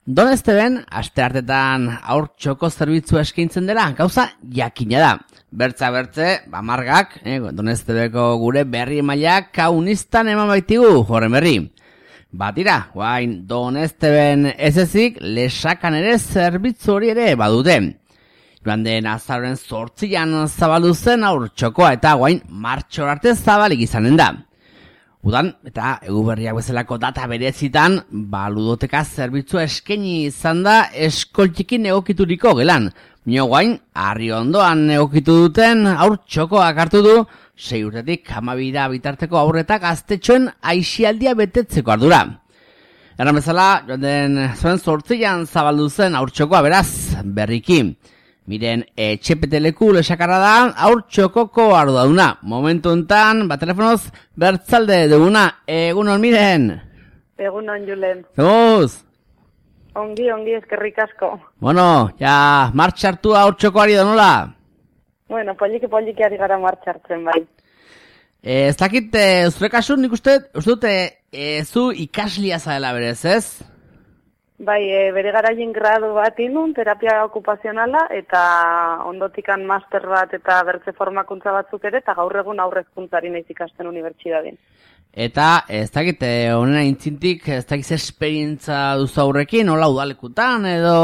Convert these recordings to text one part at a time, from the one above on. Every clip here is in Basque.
Donesteben, asteartetan haur txoko zerbitzua eskaintzen dela, gauza jakina da. Bertza-bertze, margak, Donestebeko gure berri mailak kaunistan eman baitigu, horren berri. Batira, guain Donesteben ez ezik, Lesakan ere zerbitzu hori ere badute. Joan den azaroren 8an zabaldu zen haur txokoa eta guain martxor arte zabalik izanen da. Udan, eta eguberriak bezalako data berezitan, ludoteka zerbitzua eskaini izan da eskoltxikin egokituriko gelan. Mino guain, Arriondoan egokitu duten haur txokoak hartu du, 6 urtetik 12 bitarteko aurretak gaztetxoen aisialdia betetzeko ardura. Erran bezala, joan den zuen 8an zabaldu zen haur txokoa beraz, berriki. Miren, etxepeteleku Lesakarra da, haur txokoko arduraduna. Momentu enten, telefonoz, bertzalde duguna. Egunon, Miren. Egunon, Julen. Zemuz? Ongi, eskerrik asko. Bueno, ja, martxartu haur txokoari da nola? Bueno, poliki ari gara martxartzen bai. Ez dakit, zure kasu nik uste dut, zu ikaslia zaela berez, ez? Bai, bere garaien gradu bat inun, terapia okupazionala, eta ondotikan master bat eta bertze formakuntza batzuk ere, eta gaur egun aurrezkuntzari naiz ikasten unibertsitatean. Eta, ez dakit, honena intzintik, ez dakit esperientza duzu aurrekin, hola udalekutan, edo...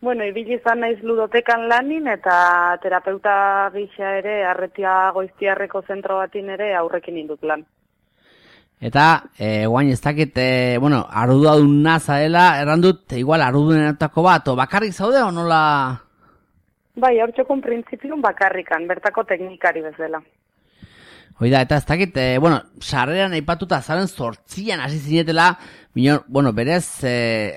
Bueno, ibili izan naiz ludotekan lanin, eta terapeuta gisa ere, Arretia Goiztiarreko zentro batin ere aurrekin indut lan. Eta, guain ez dakit, arduraduna zaela, errandut, igual ardudenetako bat, o bakarrik zaude, o nola? Bai, haur txokon printzipioan bakarrikan, bertako teknikari bezala. Hoida, eta ez dakit, sarreran aipatuta azaren 8an hasi zinetela, berez,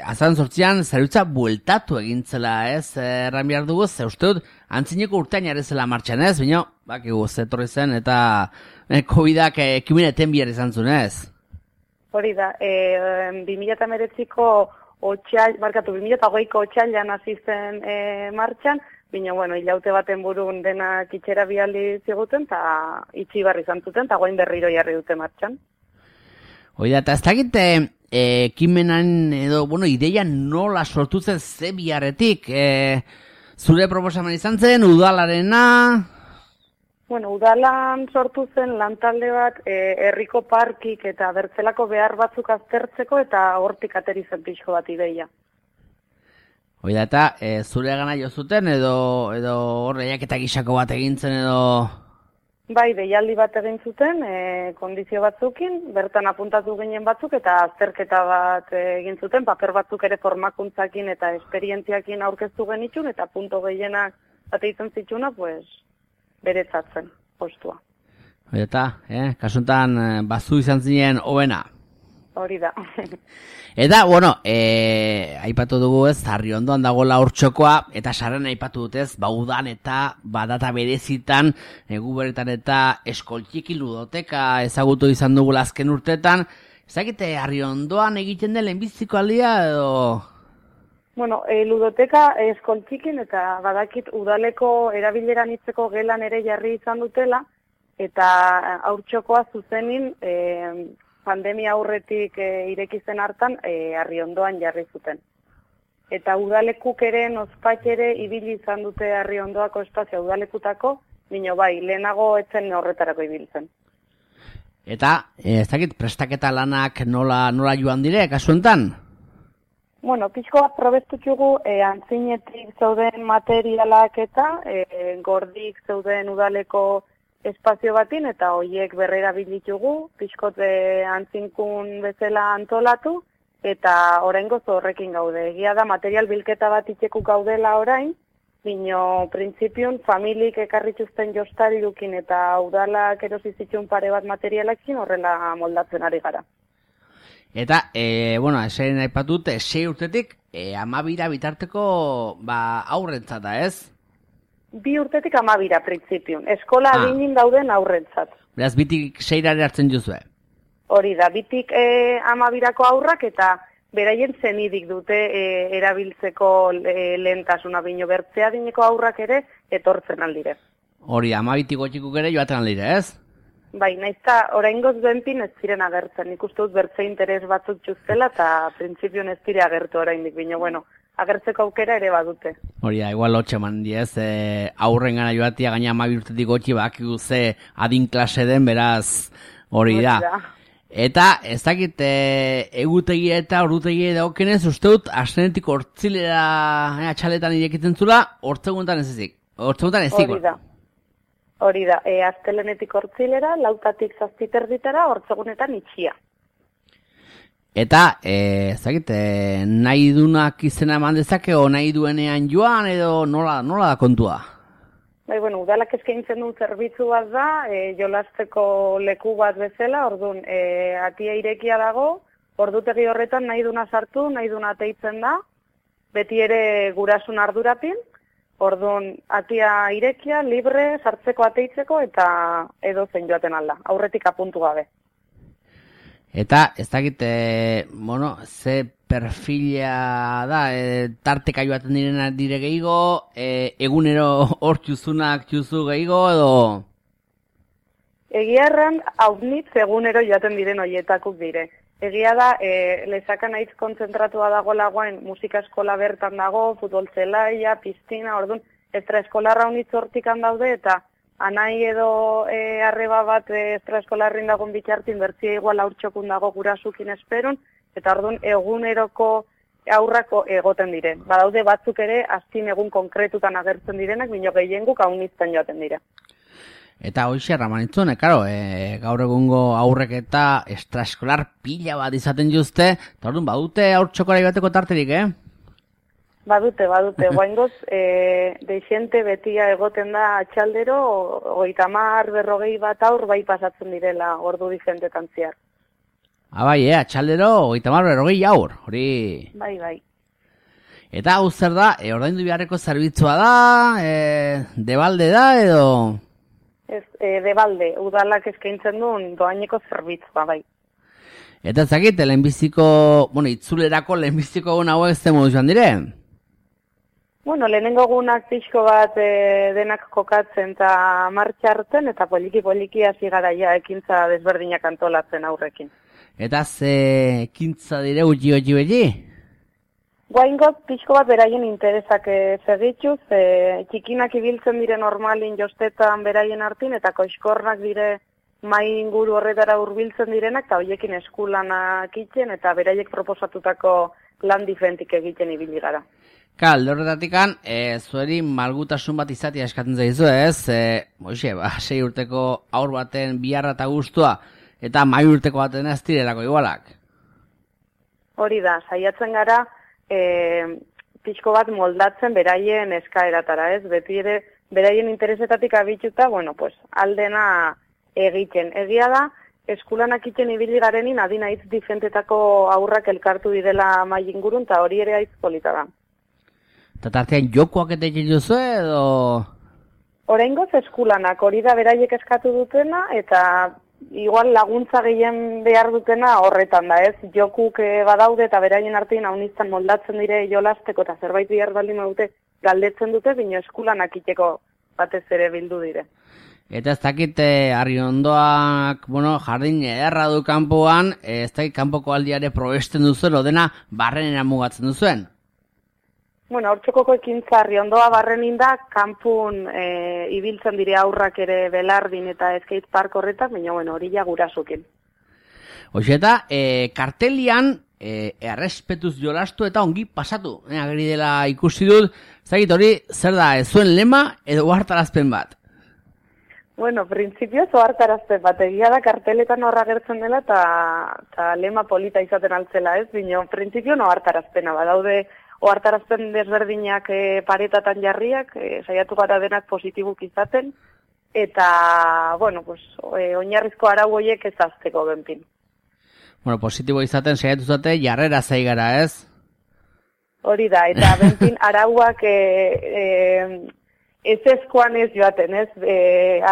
azaren 8an zerutza bueltatu egintzela, ez, erran behar dugu, ze uste dut, antzineko urtean jarezela martxan, ez, bakigu zetorri zen, eta COVID-ak ekimen eten bihar izan zuen, ez? Hori da, 2019ko 2008ko otxailan hasi zen martxan, bina, hilaute baten burun denak itxera bialdi ziguten, eta itxi barri izan zuten, eta guain berriro jarri dute martxan. Hori da, eta ez dakit, ekimenan edo, ideia nola sortu zen ze biharretik, zure proposamen izan zen, udalarena... Udalan sortu zen lantalde bat herriko parkik eta bertzelako behar batzuk aztertzeko eta hortik ateri zen pixko bat ideia. Hoi da, eta zure gana jo zuten edo horreiak eta gisako bat egintzen edo... Bai, deialdi bat egin zuten, kondizio batzukin, bertan apuntatu ginen batzuk eta azterketa bat egin zuten, paper batzuk ere formakuntzakin eta esperientziakin aurkeztu genitxun eta punto gehienak bate izan zitxuna, beretzatzen postua. Hori eta, kasuntan bazu izan zinen hobena. Hori da. Eta, aipatu dugu ez, Arriondoan dagoela haur txokoa, eta sarren aipatu dutez, udan eta badata berezitan, guberetan eta eskoltxiki ludoteka ezagutu izan dugu azken urteetan. Ezakite, Arriondoan egiten den lehenbiziko aldia edo... ludoteka eskoltxikin eta badakit udaleko erabileran hitzeko gelan ere jarri izan dutela, eta haur txokoa zuzenin pandemia aurretik irekizen hartan Arriondoan jarri zuten. Eta udalekuk ere, nozpatx ere, ibili izan dute Arriondoako espazioa udalekutako, lehenago etzen horretarako ibiltzen. Eta, ez dakit, prestaketa lanak nola joan dire, kasuentan? Pixko bat probestutxugu antzinetik zeuden materialak eta gordik zeuden udaleko espazio batin eta hoiek berrera bilitugu, pixkot antzinkun bezala antolatu eta oraingoz horrekin gaude. Egia da material bilketa bat itxeku gaudela orain, bino printzipioan familik ekarrituzten jostarilukin eta udalak erosizitxun pare bat materialakin horrela moldatzen ari gara. Eta, esaien aipatut, 6 urtetik, 12 bitarteko aurrentzat da, ez? 2 urtetik 12 printzipioan. Eskola adinin dauden aurrentzat. Beraz, bitik 6 hartzen juzue? Hori da, bitik 12ko aurrak eta beraien zenidik dute erabiltzeko lehentasuna bino bertzea dineko aurrak ere etortzen aldire. Hori, 12 gotxikuk ere joaten aldire, ez? Bai, naizta oraingoz benpin ez ziren agertzen. Nik uste dut bertze interes batzuk txuztela eta printzipioan ez dire agertu oraindik, baina bueno, agertzeko aukera ere badute. Hori da, igual lotxe eman diez, aurren gana joatia gaina 12 urtetik gotxi bakigu ze adin klase den, beraz hori da. Eta ez dakit egutegi eta ordutegia dagokenez, uste dut astenetik hortzilera txaletan irekitzen zula, hortzeguntan ez ezik. Hortzeguntan ezik. Hori da, astelenetik hortzilera, 4-tik 7:30, hortzegunetan itxia. Eta, ez dakit, nahi dunak izena eman dezake, o nahi duenean joan, edo nola da kontua? Bai, bueno, udalak eskaintzen duen zerbitzu bat da, jolasteko leku bat bezala, orduan, atia irekia dago, ordutegi horretan nahi duna sartu, nahi duna teitzen da, beti ere gurasun ardurapin, orduan, atia irekia, libre, sartzeko ateitzeko, eta edo zein joaten alda, aurretik apuntu gabe. Eta, ez dakit, ze perfila da, tarteka joaten dire gehiago, egunero hor txuzunak txuzu gehiago, edo? Egia erran, haunitz egunero joaten diren hoietakuk dire. Egia da, lezakan aiz kontzentratua dago lagoen, musika eskola bertan dago, futbol zelaia, piztina, orduan, extraeskolarra haunitz hortikan daude, eta anai edo arreba bat extraeskolarrin dagoen bitxartin, bertzia igual aurtxokun dago gurasukin esperun, eta orduan eguneroko aurrako egoten diren. Badaude batzuk ere, aztin egun konkretutan agertzen direnak, bino gehienguk haunitzen joaten dira. Eta hoxe ramanitzun, gaur egungo aurrek eta extraeskolar pila bat izaten juzte, eta orduan badute aurtxokora bateko tarterik, Badute, guaingoz, deixente betia egoten da atxaldero, 30-40 bat aur bai pasatzen direla ordu diferentetan ziar. Bai, atxaldero 30-40 aur, hori... Bai. Eta hau zer da, ordaindu beharreko zerbitzua da, debalde da, edo... Ez, debalde, udalak eskaintzen duen doaineko zerbitzua, bai. Eta ezakit, lehenbiziko, itzulerako lehenbiziko egun hauek ze modu joan dire? Bueno, lehenengo egunak pixko bat denak kokatzen eta martxartzen, eta poliki hasi gara ja ekintza desberdinak antolatzen aurrekin. Eta ze ekintza dire uji beti? Guaingoz, pixko bat beraien interesak segituz, txikinak ibiltzen dire normalin jostetan beraien hartin, eta koiskornak dire mai inguru horretara hurbiltzen direnak, eta horiekin eskulanak itzen, eta beraiek proposatutako lan diferentik egiten ibili gara. Alde horretatikan, zueri malgutasun bat izatea eskatzen zaizu, ez? 6 urteko aur baten biharra eta guztua, eta 2 urteko baten ez direlako igualak. Hori da, saiatzen gara, pixko bat moldatzen beraien eskaeratara, ez? Beti ere, beraien interesetatik abituta, aldena egiten. Egia da, eskulanak iten ibili garenin adina hitz diferentetako aurrak elkartu direla mai ingurun, eta hori ere aitz polita da. Eta tartean jokoak eta egin duzu edo... Oraingoz eskulanak, hori da beraiek eskatu dutena, eta igual laguntza gehien behar dutena horretan da, ez? Jokuk badaude eta beraien artean hauniztan moldatzen dire jolasteko eta zerbait bihar baldin dute galdetzen dute, bino eskulanak iteko batez ere bildu dire. Eta ez dakit Arriondoak, jardin ederra du kanpoan, ez dakit kanpoko aldiare probesten duzuen, odena barrenera mugatzen duzuen? Hortxokoko ekintza Arriondoa barrenin da, kanpun ibiltzen dire aurrak ere belardin eta skate park horretak, baina hori ja gurasukin. Eta kartelian errespetuz jolastu eta ongi pasatu. Ageri dela ikusi dut, zagit hori zer da, ez zuen lema edo ohartarazpen bat? Printzipioz ohartarazpen bat, egia da karteletan horra gertzen dela eta lema polita izaten altzela, ez? Baina printzipio ohartarazpena badaude ohartarazpen desberdinak paretatan jarriak, saiatu gara denak positibuk izaten, eta, oinarrizko arau horiek ez azteko benpin. Positibo izaten saiatu zate jarrera zai gara, ez? Hori da, eta benpin arauak ez ezkoan ez joaten, ez?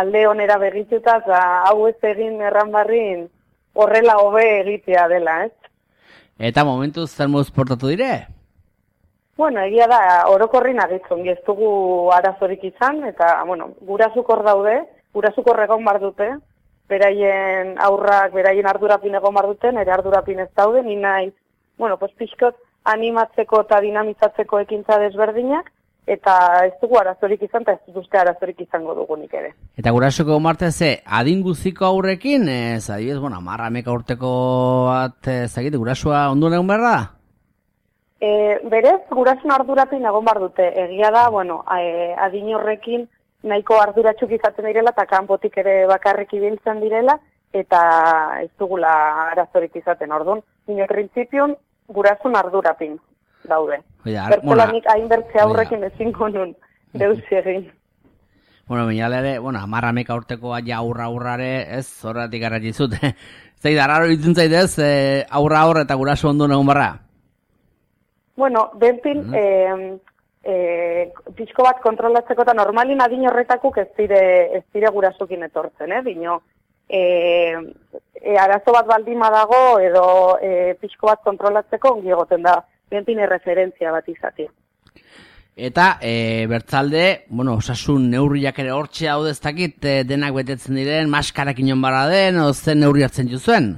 Alde onera begituta, hau ez egin erranbarrin horrela hobe egitea dela, ez? Eta momentuz zer moduz portatu dire? Egia da, orokorrin agitzen, ez dugu arazorik izan, eta, gurasukor daude, gurasukor egon bar dute, beraien aurrak, beraien ardurapin egon bar duten, ere ardurapin ez daude, ni naiz, pues pixkot animatzeko eta dinamizatzeko ekintza desberdinak, eta ez dugu arazorik izan, eta ez dut uste arazorik izango dugunik ere. Eta gurasoko Marte ze, adin guztiko aurrekin, adibidez, 10-11 urteko bat, ezagite, gurasoa ondu egon behar da? Berez, gurasun ardurapin egon bar dute. Egia da, adin horrekin nahiko arduratxuk izaten direla, eta kanpotik ere bakarrik ibiltzen direla, eta ez dugula arazorik izaten, orduan. Nire prinsipion, gurasun ardurapin daude. Bertolanik hainbertze aurrekin ezingo nun, deusi egin. Binala ere, 11 urtekoa ja aurrare, ez, horretik garratizut. Zai, darraro ditzen zaitez, aurra eta guraso ondo egon barra? Benpin, pixko bat kontrolatzeko eta normalin adin horretakuk ez dire gurasokin etortzen, dino, arazo bat baldima dago edo pixko bat kontrolatzeko ongi egoten da, benpin referentzia bat izatea. Eta, bertzalde, osasun neurriak ere hortxe hau dezakit, denak betetzen diren, maskarak inon barra den, o zen neurri hartzen juzuen?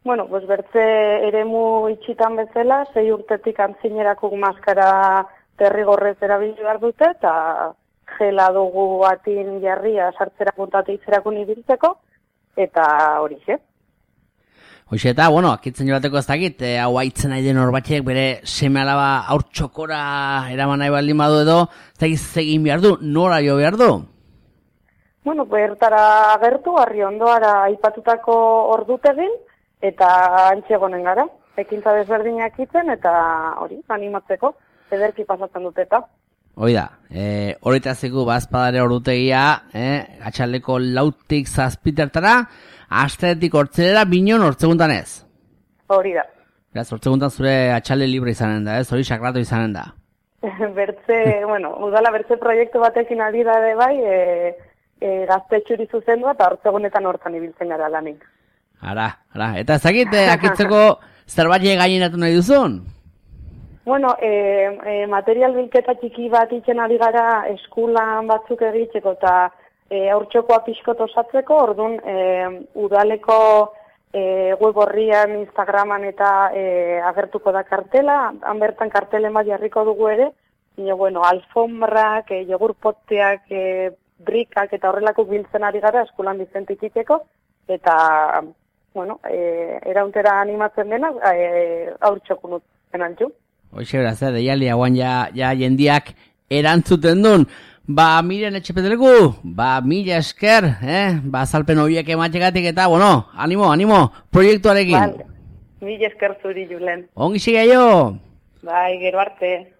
Bertze eremu itxitan bezala, 6 urtetik antzinerakuk maskara derrigorrez erabili behar dute, eta gela dugu atin jarria sartzera puntatu itzerakun ibiltzeko, eta hori xe. Hoxe eta, akitzen joateko ez dakit, hau haitzen nahi den horbatxek bere seme alaba aur txokora eraman nahi baldin badu edo, ez dakit zegin behar du, nora jo behar du? Bertara agertu, harri ondoara aipatutako ordutegin, eta antxegonen gara, ekintza desberdinak itzen, eta hori, animatzeko, ederki pasatzen dut eta. Hoi da, horretazeko bazpadare ordutegia, atxaldeko 4-tik 7 astetik hortzelera binon hortzeguntan ez. Hori da. Beraz, hortzeguntan zure atxalde libre izanen da, ez? Hori sakratu izanen da. Udala bertze proiektu batekin ari da bai, gaztetxuri zuzendua eta hortzegunetan hortan ibiltzen gara lanik. Ara, eta ezagite, akitzeko zerbait gaineratu nahi duzun? Material bilketa txiki bat itzen ari gara eskulan batzuk egitzeko eta haurtxokoa pixkot osatzeko, orduan udaleko web horrian, Instagraman eta agertuko da kartela, han bertan kartelen bat jarriko dugu ere, alfombrak, jogurpotteak, brikak eta horrelako biltzen ari gara eskulan bizentik iteko, eta erauntera animatzen dena haurtxokun utzen altxu. Hoxe beraz, deialdi hauan ja jendiak erantzuten duen. Miren etxepetelegu, mila esker, azalpen horiek ematxegatik eta, animo, proiektuarekin. Mila esker zuri, Julen. Ongi siga jo. Bai, gero arte.